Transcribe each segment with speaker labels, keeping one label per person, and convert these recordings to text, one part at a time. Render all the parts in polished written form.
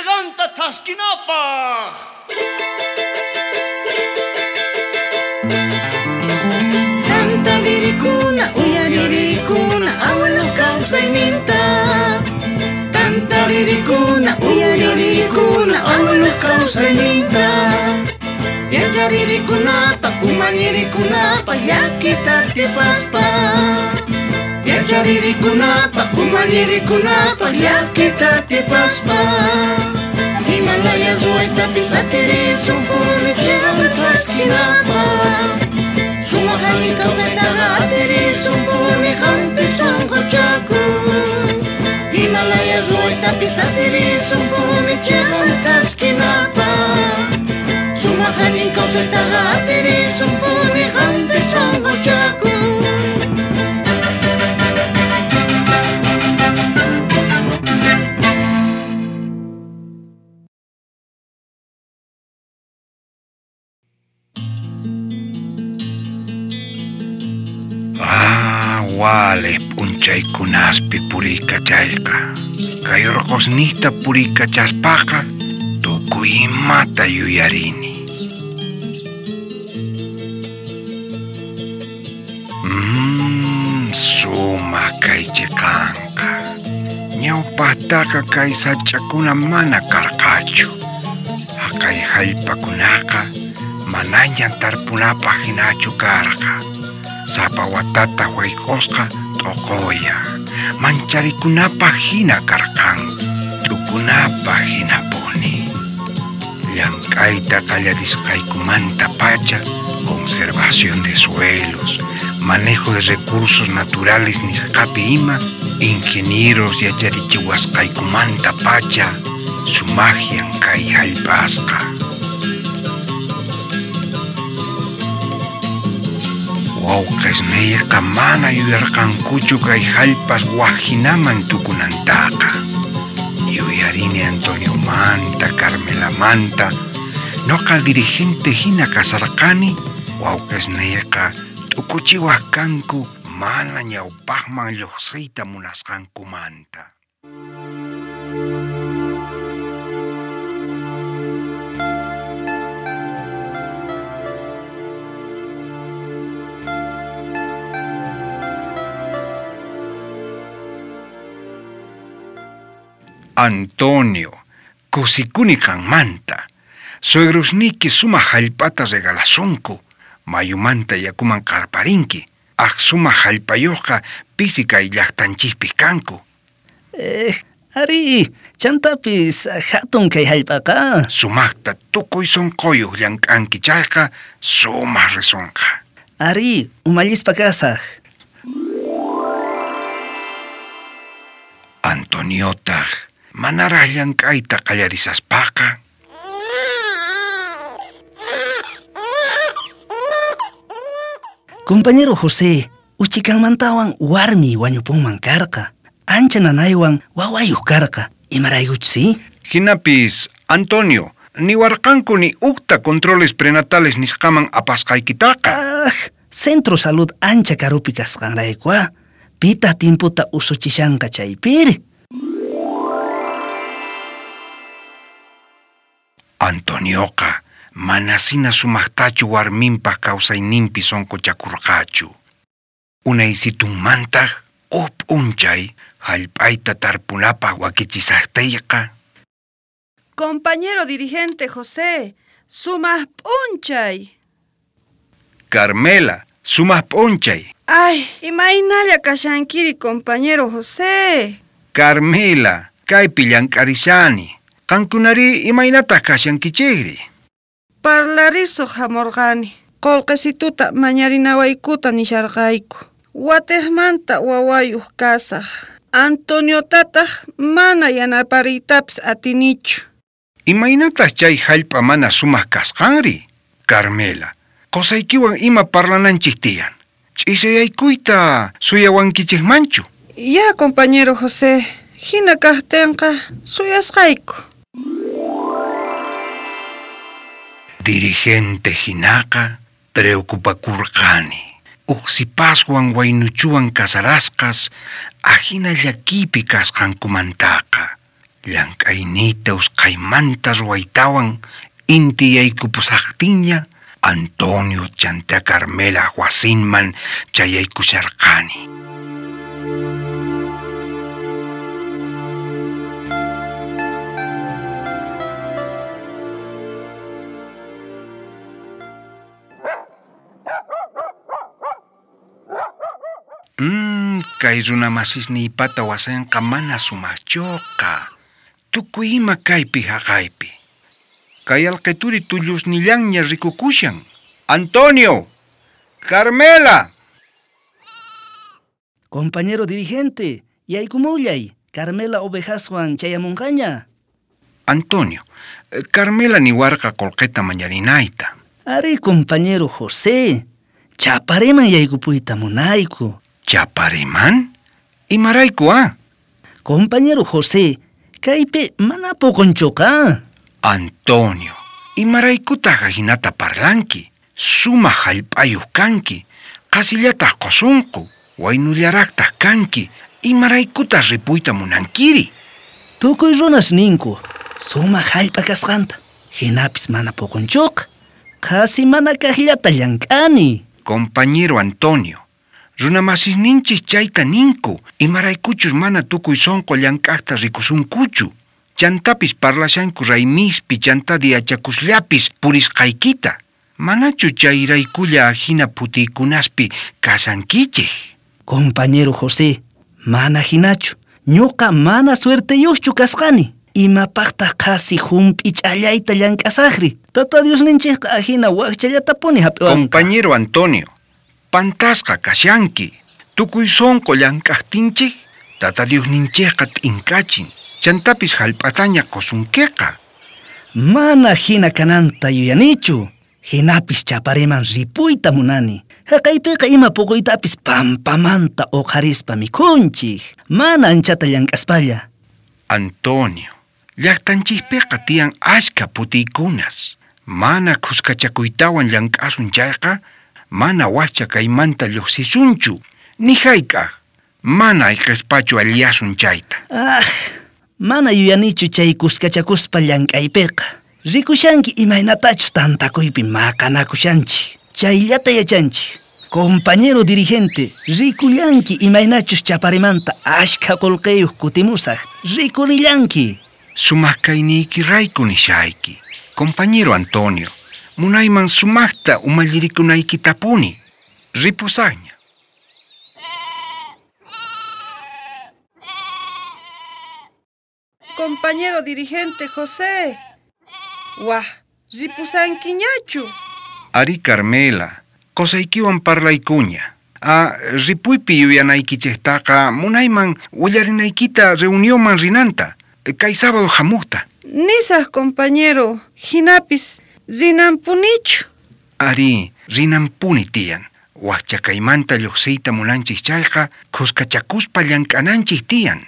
Speaker 1: Cheqanta thaskinapaj.
Speaker 2: Tantaririkuna, uyaririkuna, abuelo kawsayninta. Tantaririkuna, uyaririkuna, abuelo kawsayninta. Yacharirikunapa, umallirikunapa, llakita atipaspa. Yacharirikunapa, umallirikunapa, llakita atipaspa. Himalaya ruwaytapis atirisunpuni chiqan thaskinapaq. Sumaq allin kawsaytaqa atirisunpuni qampi sunquchakuy. Himalaya ruwaytapis atirisunpuni chiqan thaskinapaq. Sumaq allin kawsaytaqa atirisunpuni qampi sunquchakuy.
Speaker 3: Ah, wale p'unchaykunaspi puriykachayqa. Kay urqusniyta puriykachaspaqa tukuy imata yuyarini. Sumaq kay chiqanqa. Ñawpaqtaqa kay sach'akuna mana karqachu. Haqay hallp'akunaqa manaña tarpunapaq hinachu karqa. Sapa watata wayk'usqa t'uquya. Mancharikunapaq hina karqanku, t'ukunapaq hinapuni. Llank'ayta qallarisqaykumantapacha, conservación de suelos, manejo de recursos naturales nisqapi ima, ingenieros yacharichiwasqaykumantapacha, sumaqyan kay hallp'asqa. Wawqisniyqa mana yuyarqankuchu kay hallp'as wajinaman tukunantaqa. Yuyarini Antoniomanta, Carmelamanta, noqa dirigente hina kasarqani, wawqisniyqa t'ukuchiwaq kanku mana ñawpaqman lluqsiyta munasqankumanta. Antonio, kusikuni qanmanta. Suegrosniyki sumaq hallp'ata regalasunku. Mayumanta yakuman qarparinki. Aj sumaq hallp'ayuqqa pisi kay llaqtanchikpi kanku.
Speaker 4: Ari, chantapis hatun kay hallp'aqa.
Speaker 3: Sumaqta tukuy sunquyuq llank'anki chayqa sumaq risunqa.
Speaker 4: Ari, umallispa kasaq.
Speaker 3: Antoniotaq manaraq llank'ayta qallarisaspaqa.
Speaker 4: Compañero José, uchikanmantawan warmi wañupunman karqa. Ancha nanaywan wawayuq karqa. Imaraykuchus,
Speaker 3: Hinapis, Antonio, niwarqanku ni ukta controles prenatales nisqaman apasqaykitaqa.
Speaker 4: Ah, Centro Salud ancha karupi kasqanrayku, Pita timputa usuchishanqa chaypiri.
Speaker 3: Antonioqa manasina sumaqtachu warminpaq kawsayninpi sunquchakurqachu. Unaysitunmantaq huk p'unchay hallp'ayta tarpunapaq wakichisaqtiyqa.
Speaker 5: Compañero dirigente José, sumaq p'unchay.
Speaker 3: Carmela, sumaq p'unchay.
Speaker 5: Ay, imaynalla kashankiri, compañero José.
Speaker 3: Carmela, kaypi llank'arishani. Qankunari imaynataq kashankichikri?
Speaker 5: Parlarisuq hamurqani. Qullqisituta mañarinawaykuta nisharqayku. Watiqmanta wawayuq kasaq. Antoniotataq mana yanapariytapis atinichu.
Speaker 3: Imaynataq chay hallp'a mana sumaq kasqanri? Carmela, qusaykiwan ima parlananchik tiyan. Ch'isiyaykuyta suyawankichikmanchu?
Speaker 5: Ya, compañero José, hina kaqtinqa suyasqayku.
Speaker 3: Dirigente hinaqa preocupakurqani. Uqsipaswan waynuchuwan casarasqas ajina llakipi kasqankumantaqa. Llank'ayniyta usqhaymanta ruwaytawan inti yaykupusajtinña Antonio chanta Carmela wasinman chayaykusharqani. Kay runa masisniypata wasinqa mana sumaqchuqa. Tukuy ima kaypi haqaypi. Kay alqituri tullusnillanña rikukushan. Antonio! Carmela!
Speaker 4: Compañero dirigente, yaykumullay. Carmela ovejaswan chayamunqaña.
Speaker 3: Antonio, Carmela niwarqa qullqita mañarinayta.
Speaker 4: Ari, compañero José, Chapareman yaykupuyta munayku.
Speaker 3: Chapareman? Imarayku, ah?
Speaker 4: Compañero José, kaypi mana puqunchuqa.
Speaker 3: Antonio, imaraykutaq ajinata parlanki? Sumaq hallp'ayuq kanki, qasillataq qusunqu, waynullaraqtaq kanki, imaraykutaq ripuyta munankiri?
Speaker 4: Tukuy runas ninku, sumaq hallp'a kasqanta, hinapis mana puqunchuqa, qhasi mana kaqllata llank'ani.
Speaker 3: Compañero Antonio, runamasisninchis chayta ninku, imaraykuchus mana tukuy sunqu llank'aqta rikusunkuchu. Chantapis parlashanku raymispi chanta diachakusllapis purisqaykita. Manachu chayraykulla ajina phutiykunaspi kasankichej?
Speaker 4: Compañero José, mana hinachu. Ñuqa mana suerteyuqchu kasqani. Imapaqtaq qhasi hump'ich'allayta llank'asaqri? Tata Diosninchikqa ajina wakchallatapuni hap'iwanqa.
Speaker 3: Compañero Antonio, pantasqa kashanki. Tukuy sunqu llank'aqtinchik, Tata Diosninchikqa t'inkachin. Chantapis hallp'ataña qusunkiqa.
Speaker 4: Mana hina kananta yuyanichu. Hinapis Chapareman ripuyta munani. Haqaypiqa ima puquytapis pampamanta uqharispa mikhunchik. Mana anchata llank'aspalla.
Speaker 3: Antonio, llaqtanchikpiqa tiyan ashka putiykunas. Mana khuskachakuytawan llank'asun chayqa, mana wakcha kaymanta lluqsisunchu. Ni hayk'aq. Mana ayqispachu alliyasun chayta.
Speaker 4: Ah, mana yuyanichu chay kuskachakuspa llank'aypiqa. Rikushanki imaynatachus tantakuypi maqanakushanchik. Chayllata yachanchik. Compañero dirigente, rikullanki imaynachus Chaparemanta ashkha qullqiyuq kutimusaq. Rikurillanki.
Speaker 3: Sumaq kayniykirayku nishayki. Compañero Antonio, munayman sumaqta umallirikunaykitapuni. Ripusaqña.
Speaker 5: Compañero dirigente José. Wah, ripusankiñachu.
Speaker 3: Ari Carmela, qusaykiwan parlaykuña. Ah, ripuypi yuyanaykichiktaqa munayman willarinaykita reunionman rinanta. Kay sábado hamuqta.
Speaker 5: Nisaq compañero, hinapis rinanpunichu.
Speaker 3: Ari, rinanpuni tiyan. Wakcha kaymanta lluqsiyta munanchik chayqa, khuskachakuspa llank'ananchik tiyan.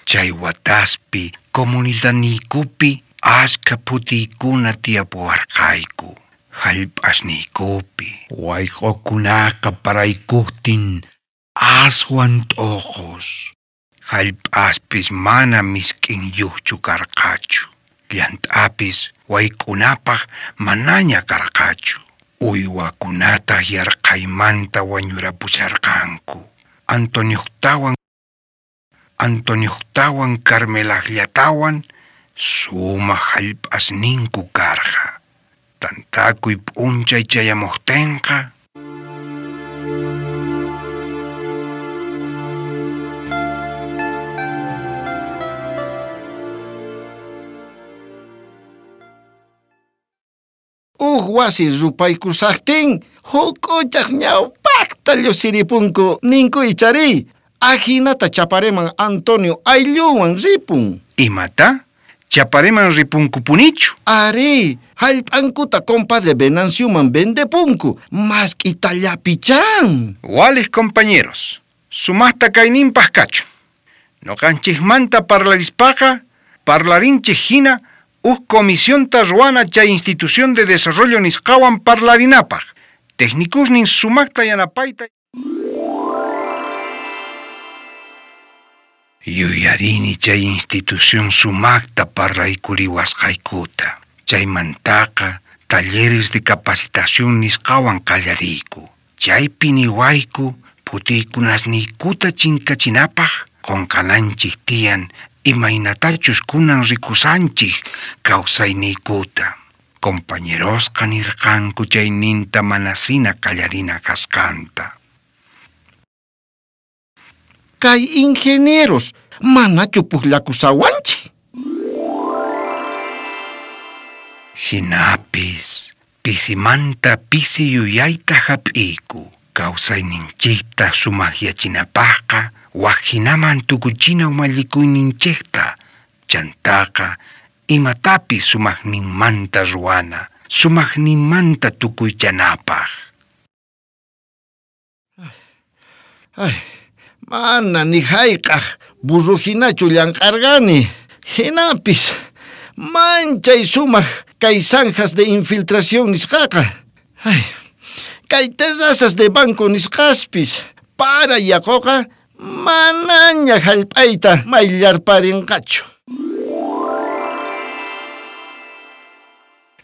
Speaker 3: Chay wataspi, comunidadniykupi, ashka phutiykuna tiyapuwarqayku. Hallp'asniykupi, wayq'ukunaqa paraykuqtin aswan t'uqus. Hallp'aspis mana misk'inyuqchu karqachu. Llant'apis wayk'unapaq manaña karqachu. Uywakunataq yarqhaymanta wañurapusharqanku. Antonioqtawan Carmelaqllatawan sumaq hallp'asninku karqa. Tantakuy p'unchay chayamuqtinqa
Speaker 6: Uj wasi rupaykusaqtin, huk'uchaq ñawpaqta llusiripunku ninku ichari. Ajinata Chapareman Antonio ayllunwan ripun.
Speaker 3: Imata? Chapareman ripunkupunichu?
Speaker 6: Ari, hallp'ankuta compadre Venancioman vendepunku, mask'itallapichan.
Speaker 3: Wales compañeros, sumaqta kayninpaq kachun. Noqanchikmanta parlarispaqa, parlarinchik hina Uj comisionta ruwana chay institución de desarrollo nisqawan parlarinapaj. Técnicosnin sumaqta yanapayta. Yuyarini chay institución sumaqta parlaykuriwasqaykuta. Chaymantaqa talleres de capacitación nisqawan qallariyku. Chaypi niwayku phutiykunasniykuta chinkachinapaj qunqananchik tiyan imaynatachus kunan rikusanchik kawsayniykuta. Compañerosqa nirqanku chayninta manasina qallarina kasqanta.
Speaker 6: Kay ingenieros manachu pujllakusawanchik.
Speaker 3: Hinapis pisimanta pisi yuyayta hap'iyku. Kawsayninchikta sumaqyachinapaqqa wak hinaman tukuchina umallikuyninchikta. Chantaqa imatapis sumaqninmanta ruwana, sumaqninmanta tukuychanapaq.
Speaker 6: Ay, mana ni hayk'aq burro hinachu llank'arqani. Hinapis manchay sumaq kay zanjas de infiltración nisqaqa. Ay, kay terrazas de banco nisqaspis para yaquqa manaña hallp'ayta mayllarparinqachu.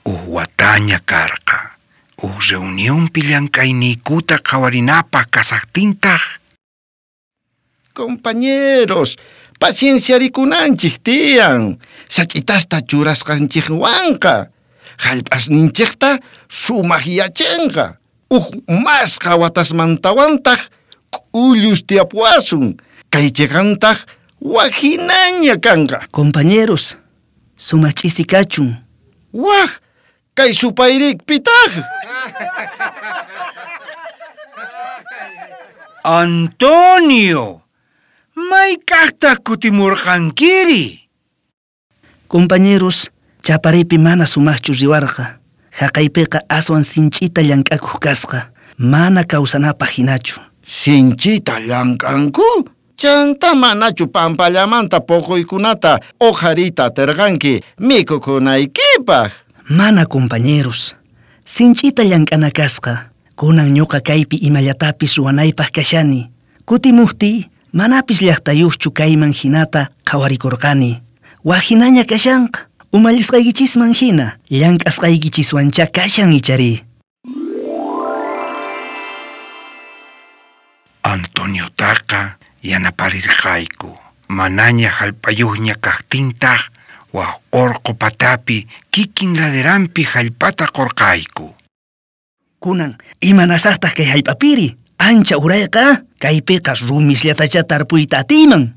Speaker 3: Uj wataña karqa. Uj reunionpi llank'ayniykuta qhawarinapaq kasaqtintaq.
Speaker 6: Compañeros, pacienciarikunanchik tiyan. Sach'itasta churasqanchikwanqa. Hallp'asninchikta sumaqyachinqa. Uj masqa watasmantawantaq k'ullus tiyapuwasun. Kay chiqantaq wajinaña kanqa.
Speaker 4: Compañeros, sumaq ch'isi kachun.
Speaker 6: Waj, kay supayrik pitaq.
Speaker 3: Antonio, mayk'aqtaq kutimurqankiri?
Speaker 4: Compañeros, chaparipi mana sumaqchu riwarqa. Haqaypiqa aswan sinch'ita llank'akuq kasqa. Mana kawsanapaq hinachu.
Speaker 6: Sinchita llank'anku? Chanta manachu pampallamanta puquykunata uqhariyta atirqanki mikhukunaykipaq.
Speaker 4: Mana compañeros. Sinch'ita llank'ana kasqa. Kunan ñuqa kaypi imallatapis ruwanaypaq kashani. Kutimuqtiy manapis llaqtayuqchu kayman hinata qhawarikurqani. Wak hinaña kashanqa. Umallisqaykichisman hina llank'asqaykichiswanchá kashan ichari.
Speaker 3: Antoniotaqa yanaparirqayku. Manaña hallp'ayuqña kaqtintaq wak urqu patapi kikin laderanpi hallp'ata qurqayku.
Speaker 4: Kunan imanasaqtaq kay hallp'apiri? Ancha urayqa kaypiqa rumisllatachá tarpuyta atiyman.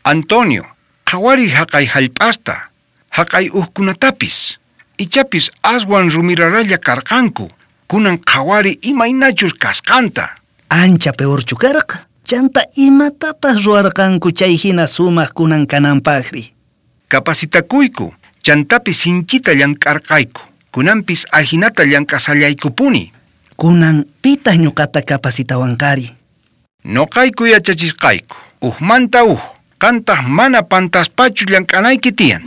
Speaker 3: Antonio, qhawariy haqay hallp'asta, haqay uhkunatapis. Ichapis aswan rumiraralla karqanku. Kunan qhawari imaynachus kasqanta.
Speaker 4: Ancha peorchu karqa. Chanta imatataq ruwarqanku chay hina sumaq kunan kananpaqri.
Speaker 3: Capacitakuyku, chantapis sinchita llank'arqayku. Kunanpis ajinata llank'asallaykupuni.
Speaker 4: Kunan pitaq ñuqata capacitawanqari.
Speaker 3: Noqayku yachachisqayku. Ujmanta uj. Qantaq mana pantaspachu llank'anayki tiyan.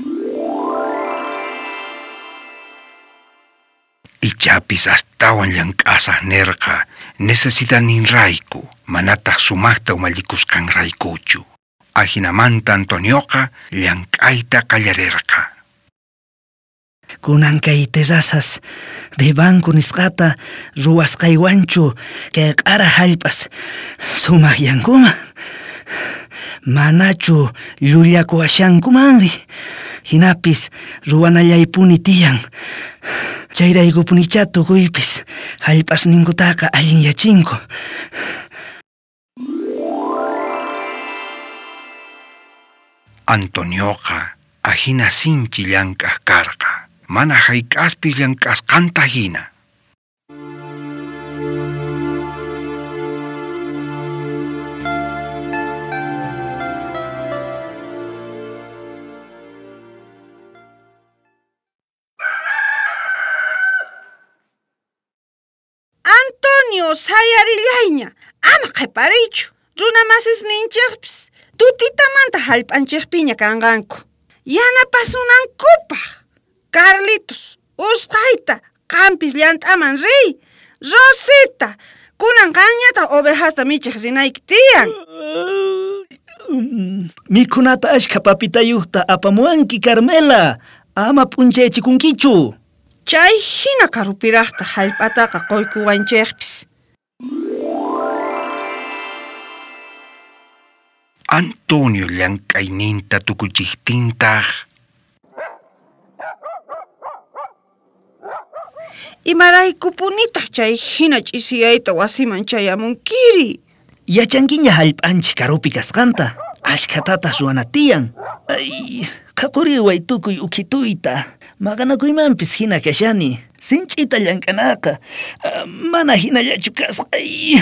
Speaker 3: Ichapis astawan llank'asaq nirqa necesitaninrayku, manataq sumaqta umallikusqanraykuchu. Ajinamanta Antonioqa llank'ayta qallarirqa.
Speaker 4: Kunan kay terrazas de banco nisqata ruwasqaywanchu kay q'ara hallp'as sumaqyankuman. Manachu llullakuwashankumanri. Hinapis ruwanallaypuni tiyan. Chayraykupunichá tukuypis hallp'asninkutaqa allinyachinku.
Speaker 3: Antonioqa ajina sinchi llank'aq karqa. Mana hayk'aspis llank'asqanta hina.
Speaker 5: Antonio, sayarillayña, ama qhipariychu. Runa masisninchikpis tutitamanta hallp'anchikpiña kanqanku. Yanapasunankupaq. Carlitos, usqhayta qampis llant'aman riy. Rosita, kunan qanñataq ovejasta michiq rinayki tiyan.
Speaker 4: Mikhunata ashkha papitayuqta apamuwanki, Carmela. Ama p'unchayachikunkichu.
Speaker 5: Chay hina karupiraqta hallp'ataqa quykuwanchikpis.
Speaker 3: Antonio llank'ayninta tukuchiqtintaq
Speaker 5: Imaraykupunitaq chay hina ch'isiyayta wasiman chayamunkiri?
Speaker 4: Yachankiña hallp'anchik karupi kasqanta. Ashkhatataq ruwana tiyan. Ay, qhaquriway tukuy ukhituyta. Maqanakuymanpis hina kashani. Sinch'ita llank'anaqa. Mana hinallachu kasqa. Ay.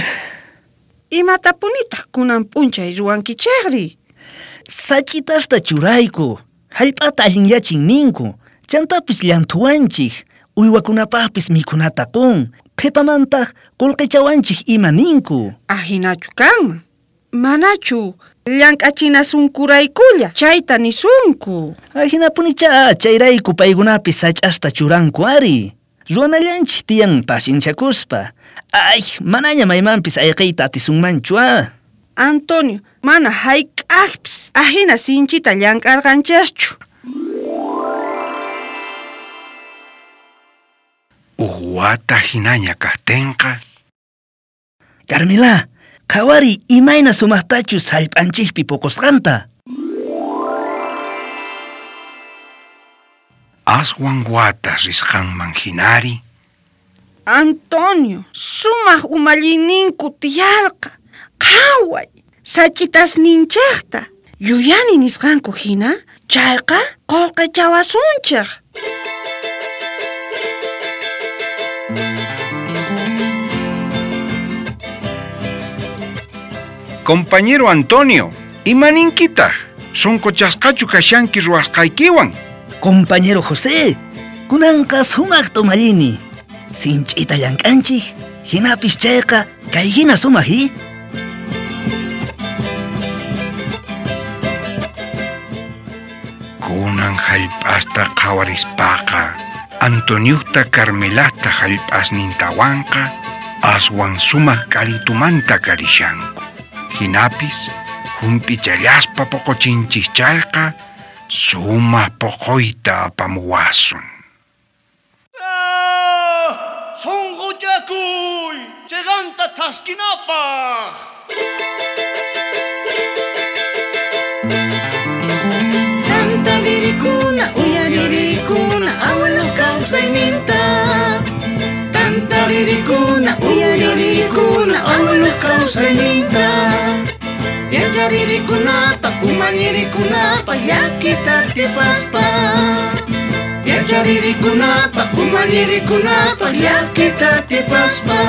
Speaker 5: Imatapunitaq kunan p'unchay ruwankichikri?
Speaker 4: Sach'itasta churayku. Hallp'ata allinyachin ninku. Chantapis llanthuwanchik. Uywakunapaqpis mikhunata qun. Qhipamantaq qullqichawanchik ima ninku.
Speaker 5: Ahinachu kanman. Manachu llank'achinasunkuraykulla chayta nisunku.
Speaker 4: Ahinapunichá chayrayku paykunapis sach'asta churanku ari. Ruwanallanchik tiyan pacienciakuspa. Ay, manaña maymanpis ayqiyta atisunmanchu a.
Speaker 5: Antonio, mana hayk'aqpis ahina sinchita llank'arqanchikchu.
Speaker 3: Uj wata hinaña kaqtinqa
Speaker 4: Carmela, qhawariy imayna sumaqtachus hallp'anchikpi puqusqanta.
Speaker 3: Aswan watas risqanman hinari.
Speaker 5: Antonio, sumaq umallinku tiyarqa. Qhaway, sach'itasninchikta. Yuyani nisqanku hina, chayqa qullqichawasunchik.
Speaker 3: Compañero Antonio, imaninkitaq? Sunquchasqachu kashanki ruwasqaykiwan?
Speaker 4: Compañero José, kunanqa sumaqta umallini. Sinch'ita llank'anchik, hinapis chayqa kay hina sumaq i?
Speaker 3: Kunan hallp'asta qhawarispaqa, Antoniuta Carmelata hallp'asnintawanqa aswan sumaq k'aritumanta karishanku. Hinapis hump'ichallaspa puquchinchik chayqa sumaq puquyta apamuwasun.
Speaker 1: Sunquchakuy, chiqanta thaskinapaq.
Speaker 2: Tantaririkuna, uyaririkuna, abuelo kawsayninta. Tantaririkuna, uyaririkuna, abuelo kawsayninta. Yacharirikunapaq, umallirikunapaq, llakita atipaspa. Yacharirikunapaq, umallirikunapaq, llakita atipaspa.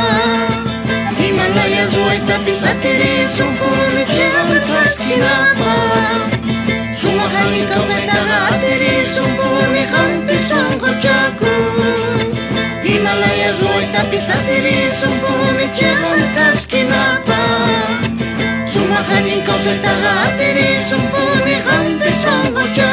Speaker 2: Himalaya ruwaytapis atirisunpuni chiqan thaskinapaq. Sumaq allin kawsaytaqa atirisunpuni qampi sunquchakuy. Himalaya ruwaytapis atirisunpuni chiqan thaskinapaq. Sumaq allin kawsaytaqa atirisunpuni qampi sunquchakuy.